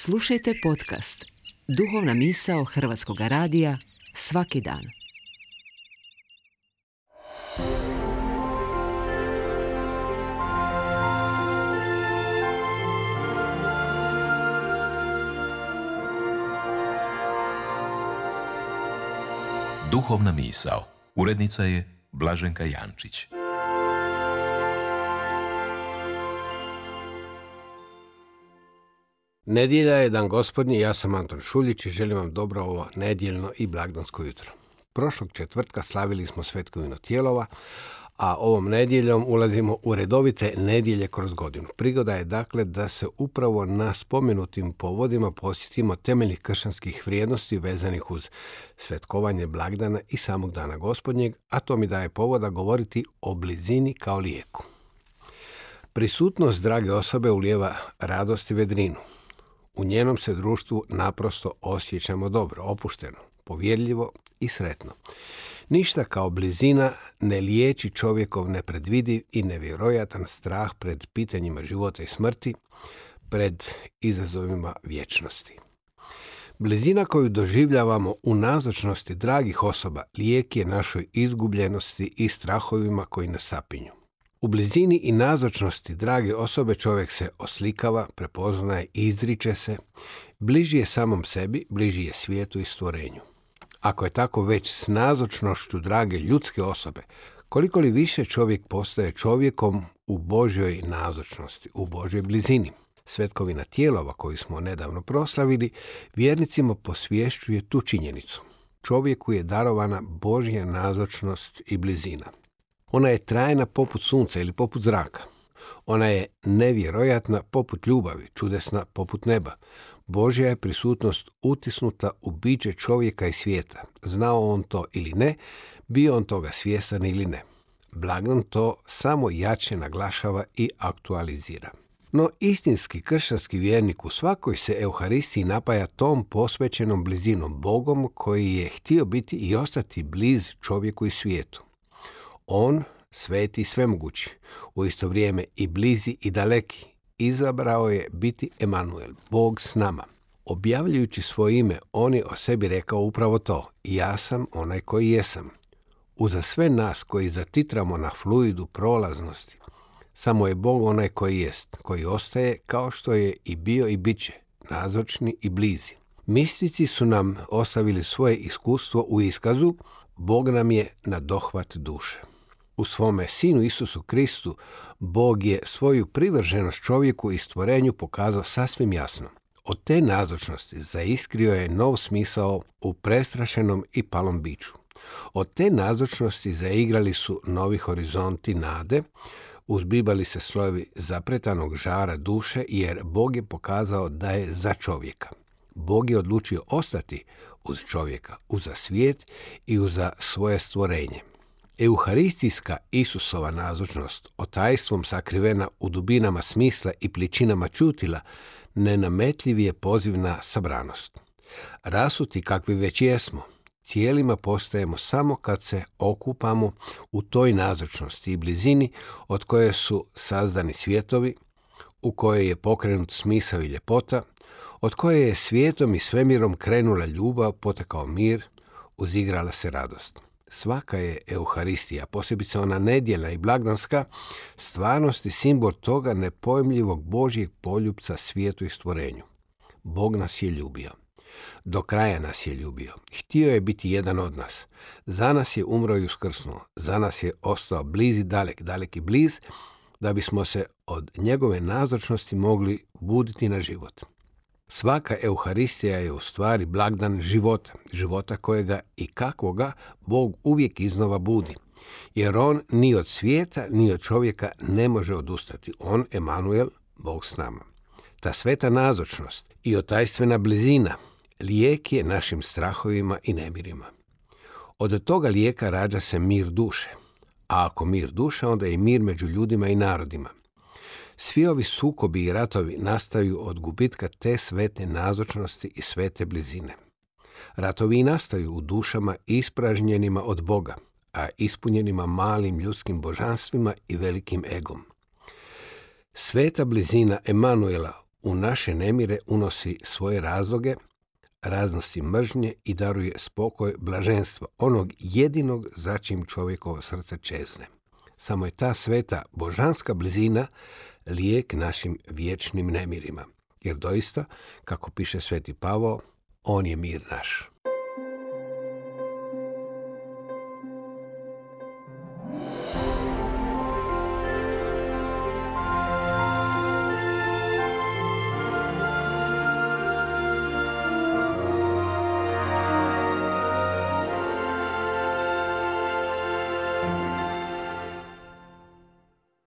Slušajte podcast Duhovna misao Hrvatskog radija svaki dan. Duhovna misao. Urednica je Blaženka Jančić. Nedjelja je dan Gospodnji, ja sam Anton Šuljić i želim vam dobro ovo nedjeljno i blagdansko jutro. Prošlog četvrtka slavili smo Svetkovinu Tijelova, a ovom nedjeljom ulazimo u redovite nedjelje kroz godinu. Prigoda je dakle da se upravo na spomenutim povodima posjetimo temeljnih kršćanskih vrijednosti vezanih uz svetkovanje blagdana i samog dana Gospodnjeg, a to mi daje povoda govoriti o blizini kao lijeku. Prisutnost drage osobe ulijeva radost i vedrinu. U njenom se društvu naprosto osjećamo dobro, opušteno, povjerljivo i sretno. Ništa kao blizina ne liječi čovjekov nepredvidiv i nevjerojatan strah pred pitanjima života i smrti, pred izazovima vječnosti. Blizina koju doživljavamo u nazočnosti dragih osoba lijek je našoj izgubljenosti i strahovima koji nas sapinju. U blizini i nazočnosti drage osobe čovjek se oslikava, prepoznaje, izriče se, bliži je samom sebi, bliži je svijetu i stvorenju. Ako je tako već s nazočnošću drage ljudske osobe, koliko li više čovjek postaje čovjekom u Božjoj nazočnosti, u Božjoj blizini. Svetkovina Tijelova koju smo nedavno proslavili, vjernicima posvješćuje tu činjenicu. Čovjeku je darovana Božja nazočnost i blizina. Ona je trajna poput sunca ili poput zraka. Ona je nevjerojatna poput ljubavi, čudesna poput neba. Božja je prisutnost utisnuta u biće čovjeka i svijeta. Znao on to ili ne, bio on toga svjestan ili ne. Blagdan to samo jače naglašava i aktualizira. No istinski kršćanski vjernik u svakoj se Euharistiji napaja tom posvećenom blizinom Bogom koji je htio biti i ostati bliz čovjeku i svijetu. On, sveti i svemogući, u isto vrijeme i blizi i daleki, izabrao je biti Emanuel, Bog s nama. Objavljujući svoje ime, on je o sebi rekao upravo to: ja sam onaj koji jesam. Uza sve nas koji zatitramo na fluidu prolaznosti, samo je Bog onaj koji jest, koji ostaje kao što je i bio i bit će, nazočni i blizi. Mistici su nam ostavili svoje iskustvo u iskazu: Bog nam je na dohvat duše. U svome Sinu Isusu Kristu Bog je svoju privrženost čovjeku i stvorenju pokazao sasvim jasno. Od te nazočnosti zaiskrio je nov smisao u prestrašenom i palom biću. Od te nazočnosti zaigrali su novi horizonti nade, uzbibali se slojevi zapretanog žara duše, jer Bog je pokazao da je za čovjeka. Bog je odlučio ostati uz čovjeka, uza svijet i uza svoje stvorenje. Euharistijska Isusova nazočnost, otajstvom sakrivena u dubinama smisla i pličinama čutila, nenametljiv je poziv na sabranost. Rasuti kakvi već jesmo, cijelima postajemo samo kad se okupamo u toj nazočnosti i blizini od koje su sazdani svijetovi, u kojoj je pokrenut smisao i ljepota, od koje je svijetom i svemirom krenula ljubav, potekao mir, uzigrala se radost. Svaka je Euharistija, posebice ona nedjeljna i blagdanska, stvarnost i simbol toga nepojmljivog Božjeg poljupca svijetu i stvorenju. Bog nas je ljubio. Do kraja nas je ljubio. Htio je biti jedan od nas. Za nas je umro i uskrsnuo. Za nas je ostao bliz i dalek, daleki bliz, da bismo se od njegove nazočnosti mogli buditi na život. Svaka Euharistija je u stvari blagdan života, života kojega i kakvoga Bog uvijek iznova budi. Jer on ni od svijeta, ni od čovjeka ne može odustati. On, Emanuel, Bog s nama. Ta sveta nazočnost i otajstvena blizina lijek je našim strahovima i nemirima. Od toga lijeka rađa se mir duše. A ako mir duše, onda je mir među ljudima i narodima. Svi ovi sukobi i ratovi nastaju od gubitka te svete nazočnosti i svete blizine. Ratovi nastaju u dušama ispražnjenima od Boga, a ispunjenima malim ljudskim božanstvima i velikim egom. Sveta blizina Emanuela u naše nemire unosi svoje razloge, raznosi mržnje i daruje spokoj, blaženstvo, onog jedinog za čim čovjekovo srce čezne. Samo je ta sveta božanska blizina lijek našim vječnim nemirima. Jer doista, kako piše sveti Pavao, on je mir naš.